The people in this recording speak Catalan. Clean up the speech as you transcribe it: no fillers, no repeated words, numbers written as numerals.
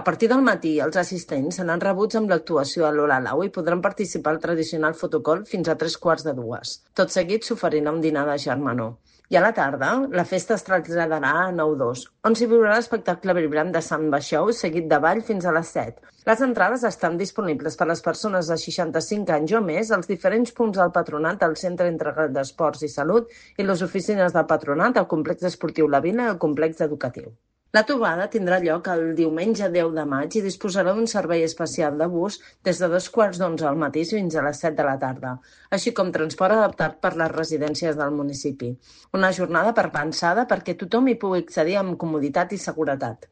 A partir del matí, els assistents seran rebuts amb l'actuació a l'Ola-Lau i podran participar al tradicional fotocall fins a 3:15. Tot seguit s'oferirà un dinar de germanor. I a la tarda, la festa es traslladarà a 9-2, on s'hi viurà l'espectacle vibrant de Samba Show, seguit de ball fins a les 7. Les entrades estan disponibles per a les persones de 65 anys o més als diferents punts del Patronat, al Centre Integrat d'Esports i Salut i les oficines del Patronat, al Complex Esportiu La Vila i al Complex Educatiu. La trobada tindrà lloc el diumenge 10 de maig i disposarà d'un servei especial de bus des de 11:15 al matí fins a les 7 de la tarda, així com transport adaptat per les residències del municipi. Una jornada pensada perquè tothom hi pugui accedir amb comoditat i seguretat.